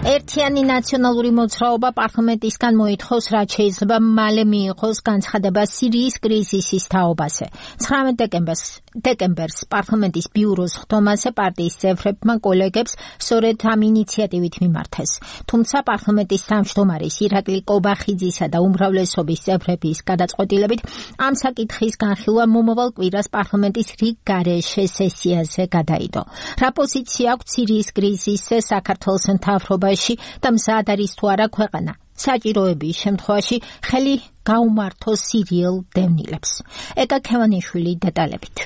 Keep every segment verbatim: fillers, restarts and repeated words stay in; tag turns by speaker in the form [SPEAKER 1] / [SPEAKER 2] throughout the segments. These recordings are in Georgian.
[SPEAKER 1] ერთიანი ნაციონალური მოძრაობა პარლამენტისგან მოითხოვს, რაც შეიძლება მალე მიიღოს განცხადება სირიის კრიზისის თაობაზე. ცხრამეტ დეკემბერს დეკემბერს პარლამენტის ბიუროს ხდომაზე პარტიის წევრებმა კოლეგებს სწორედ ამ ინიციატივით მიმართეს. თუმცა პარლამენტის თავმჯდომარის ირაკლი კობახიძისა და უმრავლესობის წევრების გადაწყვეტილებით ამ საკითხის განხილვა მომავალ კვირას პარლამენტის რიგ გარეშე სესიაზე გადაიდო. რა პოზიცია აქვს სირიის კრიზისზე საქართველოს მთავრობაში და მზად არის თუ არა ქვეყანა საჭიროების შემთხვევაში ხელი გაუმართოს სირიელ დევნილებს. ეკა ქევანიშვილი დეტალებით.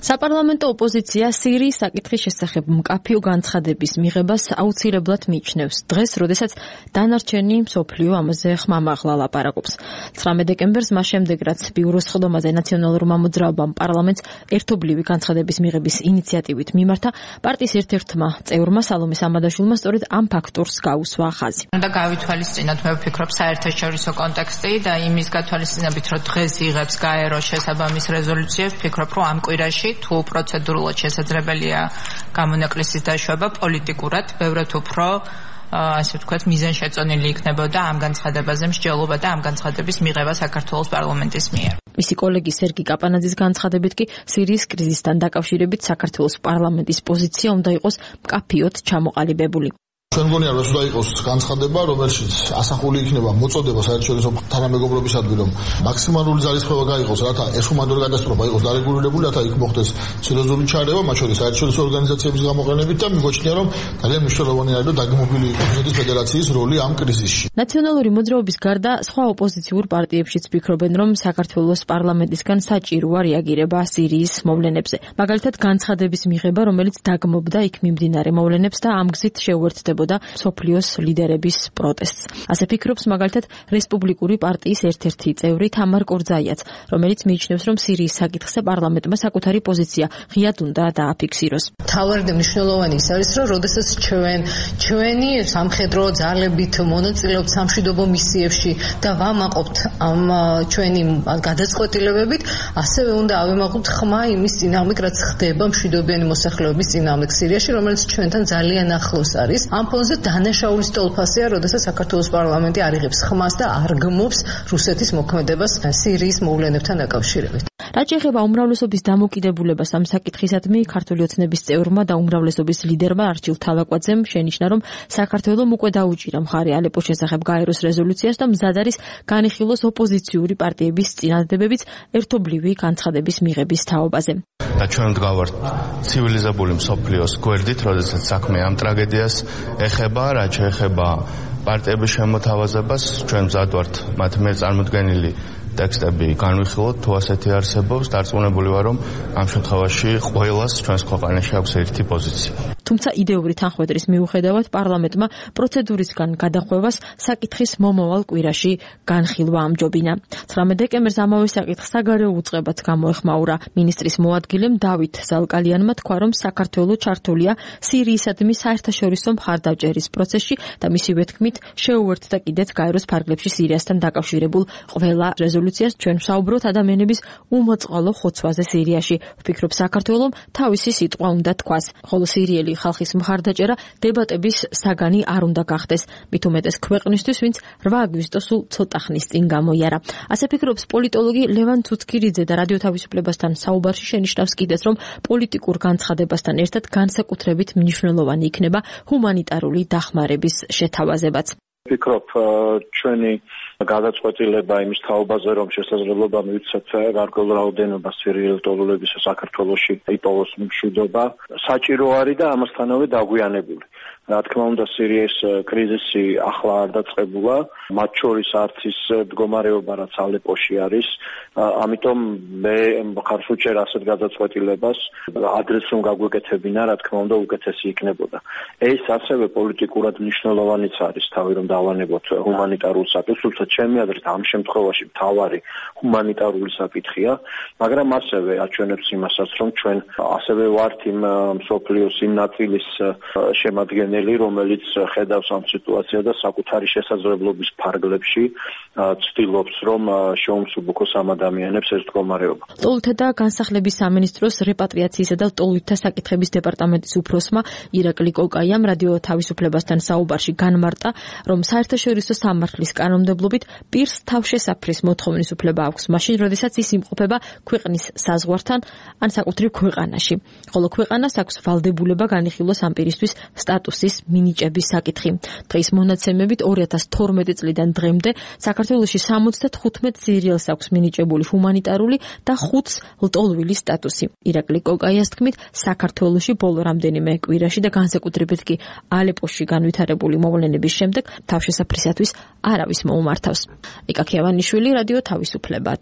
[SPEAKER 2] საპარლამენტო ოპოზიცია სირიის საკითხის შესახებ მკაფიო განცხადების მიღებას აუცილებლად მიიჩნევს. დღეს, როდესაც დანარჩენი მსოფლიო ამაზე ხმამაღლა ლაპარაკობს. ცხრამეტ დეკემბერს მას შემდეგ, რაც ბიუროს ხდომაზე ნაციონალურმა მოძრაობამ პარლამენტს ერთობლივი განცხადების მიღების ინიციატივით მიმართა, პარტიის ერთ-ერთმა წევრმა სალომე სამადაშვილმა სწორედ ამ ფაქტორს გაუსვა ხაზი.
[SPEAKER 3] უნდა გავითვალისწინოთ, მე ვფიქრობ, საერთაშორისო კონტექსტი და იმის გათვალისწინებით, რომ დღეს იღებს გაერო შესაბამის რეზოლუციებს, ვფიქრობ, რომ ამ კვირაში თუ პროცედურულად შესაძლებელია გამონაკლისის დაშვება, პოლიტიკურად ბევრად უფრო ასე ვთქვათ მიზანშეწონილი იქნებოდა ამ განცხადებაზე მსჯელობა და ამ განცხადების მიღება საქართველოს პარლამენტის მიერ.
[SPEAKER 2] მისი კოლეგი სერგი კაპანაძის განცხადებით კი სირიის კრიზისთან დაკავშირებით საქართველოს პარლამენტის პოზიცია უნდა იყოს მკაფიოდ ჩამოყალიბებული.
[SPEAKER 4] ჩვენ მგონია, რომ უნდა იყოს განცხადება, რომელშიც ასახული იქნება მოწოდება საერთაშორისო თანამეგობრობისადმი, რომ მაქსიმალური ძალისხმევა გაიყოს, რათა ეს ჰუმანიტარული კატასტროფა იყოს დარეგულირებული, რათა იქ მოხდეს სერიოზული ჩარევა, მათ შორის საერთაშორისო ორგანიზაციების გამოყენებით და მიგვაჩნია, რომ ძალიან მნიშვნელოვანი არის, რომ დაგმობილი იყოს რუსეთის ფედერაციის როლი ამ კრიზისში.
[SPEAKER 2] ნაციონალური მოძრაობის გარდა სხვა ოპოზიციურ პარტიებშიც ფიქრობენ, რომ საქართველოს პარლამენტისგან საჭიროა რეაგირება სირიის მოვლენებზე. მაგალითად, განცხადების მიღება, რომელიც დაგმობდა იქ მიმდინარე მოვლენებს და ამ გზით შეუერთდება და სოფლიოს ლიდერების პროტესტს. ასე ფიქრობს მაგალითად რესპუბლიკური პარტიის ერთ-ერთი წევრი თამარ კორძაიაც, რომელიც მიიჩნევს, რომ სირიის საკითხზე პარლამენტმა საკუთარი პოზიცია ღიად უნდა დააფიქსიროს.
[SPEAKER 5] თავარი და მნიშვნელოვანი ის არის, რომ როდესაც ჩვენ ჩვენი სამხედრო ძალებით მონაწილეობთ სამშვიდობო მისიებში და ვამაყობთ ამ ჩვენი გადაწყვეტილებებით, ასევე უნდა ავემაყოთ ხმა იმის წინააღმდეგ, რაც ხდება მშვიდობიანი მოსახლეობის წინააღმდეგ სირიაში, რომელიც ჩვენთან ძალიან ახლოს არის. ამ ფონზე დანაშაულის ტოლფასია, როდესაც საქართველოს პარლამენტი არ იღებს ხმას და არ გმობს რუსეთის მოქმედებას სირიის მოვლენებთან დაკავშირებით.
[SPEAKER 2] რაც შეეხება უმრავლესობის დამოკიდებულებას ამ საკითხისადმი, ქართული ოცნების წევრმა და უმრავლესობის ლიდერმა არჩილ თავაკვაძემ შენიშნა, რომ საქართველომ უკვე დაუჭირა მხარი ალეპოს შესახებ გაეროს რეზოლუციას და მზად არის განიხილოს ოპოზიციური პარტიების წინადადებებიც ერთობლივი განცხადების მიღების თაობაზე.
[SPEAKER 6] და ჩვენ ვდგავართ ცივილიზებული მსოფლიოს გვერდით, როდესაც საქმე ამ ტრაგედიას ეხება, რაც შეეხება პარტიების შემოთავაზებას, ჩვენ მზად ვართ მათ მიერ წარმოდგენილი ტექსტები განვიხილოთ, თუ ასეთი არსებობს, დარწმუნებული ვარ, რომ ამ შემთხვევაში ყველას ჩვენს ქვეყანაში აქვს ერთი პოზიცია.
[SPEAKER 2] თუმცა იდეური თანხმედრის მიუხედავად პარლამენტმა პროცედურისგან გადახვევას საკითხის მომავალ კვირაში განხილვა ამჯობინა. ცხრამეტ დეკემბერს ამავე საკითხს საგარეო უწყებაც გამოეხმაურა. მინისტრის მოადგილემ დავით ზალკალიანმა თქვა, რომ საქართველო ჩართულია სირიისადმი საერთაშორისო მხარდაჭერის პროცესში და მისივე თქმით შეუერთდა კიდეც გაეროს ფარგლებში სირიასთან დაკავშირებულ ყველა რეზოლუციას. ჩვენ ვსაუბრობთ ადამიანების უმოწყალო ხოცვაზე სირიაში. ვფიქრობ, საქართველომ თავისი სიტყვა უნდა თქვას, ხოლო სირიელი ხალხის მხარდაჭერა დებატების საგანი არ უნდა გახდეს. მით უმეტეს ქვეყნისთვის, ვინც რვა აგვისტოს სულ ცოტა ხნის წინ გამოიარა. ასე ფიქრობს პოლიტოლოგი ლევან ცუცქირიძე და რადიო თავისუფლებასთან საუბარში შენიშნავს კიდეც, რომ პოლიტიკურ განცხადებასთან ერთად განსაკუთრებით მნიშვნელოვანი იქნება ჰუმანიტარული დახმარების შეთავაზებაც.
[SPEAKER 7] ვფიქრობ, ჩვენი გადაწყვეტილება იმის თაობაზე, რომ შესაძლებლობა მივცეთ გარკვეულ რაოდენობას სირიელი ტოლოლებისა საქართველოში იპოვოს მშვიდობა, საჭირო არის და ამასთანავე დაგვიანებული. რა თქმა უნდა, სირიის კრიზისი ახლა არ დაწყებულა, მათ შორის არც ის მდგომარეობა, რაც ალეპოში არის. ამიტომ მე ხარს უჭერ ასეთ გადაწყვეტილებას, ადრეს რომ გაგვეკეთებინა, რა თქმა უნდა, უკეთესი იქნებოდა. ეს ასევე პოლიტიკურად მნიშვნელოვანიც არის, თავი რომ დავანებოთ ჰუმანიტარულ საკითხს, თუმცა ჩემი აზრით ამ შემთხვევაში მთავარი ჰუმანიტარული საკითხია, მაგრამ ასევე აჩვენებს იმასაც, რომ ჩვენ ასევე ვართ იმ მსოფლიოს იმ ნაწილის შემადგენელი, წარმომადგენელი, რომელიც ხედავს ამ სიტუაციას და საკუთარი შესაძლებლობის ფარგლებში ცდილობს, რომ შეუმსუბუქოს ამ ადამიანებს ეს მდგომარეობა.
[SPEAKER 2] ლტოლვილთა და განსახლების სამინისტროს რეპატრიაციისა და ლტოლვილთა საკითხების დეპარტამენტის უფროსმა ირაკლი კოკაიამ რადიო თავისუფლებასთან საუბარში განმარტა, რომ საერთაშორისო სამართლის კანონმდებლობით პირს თავშესაფრის მოთხოვნის უფლება აქვს, მაშინ, როდესაც ის იმყოფება ქვეყნის საზღვართან ან საკუთრივ ქვეყანაში, ხოლო ქვეყანას აქვს ვალდებულება განიხილოს ამ პირისთვის სტატუსის მინიჭების საკითხი. დღის მონაცემებით ორი ათას თორმეტი წლიდან დღემდე საქართველოში სამოცდათხუთმეტ სირიელს აქვს მინიჭებული ჰუმანიტარული და ხუთს ლტოლვილის სტატუსი. ირაკლი კოკაიას თქმით, საქართველოში ბოლო რამდენიმე კვირაში და განსაკუთრებით კი ალეპოში განვითარებული მოვლენების შემდეგ თავშესაფრისათვის არავის მოუმართავს. იკა ქიავანიშვილი, რადიო თავისუფლება.